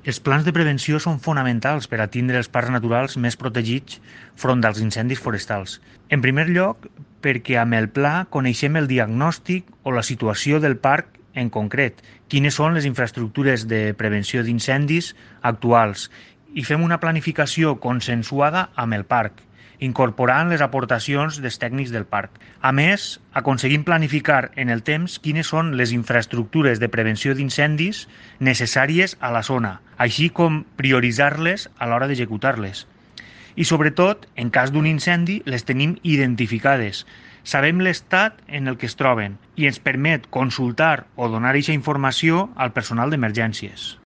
Els plans de prevenció són fonamentals per a tindre els parcs naturals més protegits front als incendis forestals. En primer lloc, perquè amb el pla coneixem el diagnòstic o la situació del parc en concret, quines són les infraestructures de prevenció d'incendis actuals i fem una planificació consensuada amb el parc, incorporant les aportacions dels tècnics del parc. A més, aconseguim planificar en el temps quines són les infraestructures de prevenció d'incendis necessàries a la zona, així com prioritzar-les a l'hora d'executar-les. I sobretot, en cas d'un incendi, les tenim identificades. Sabem l'estat en el que es troben i ens permet consultar o donar aquesta informació al personal d'emergències.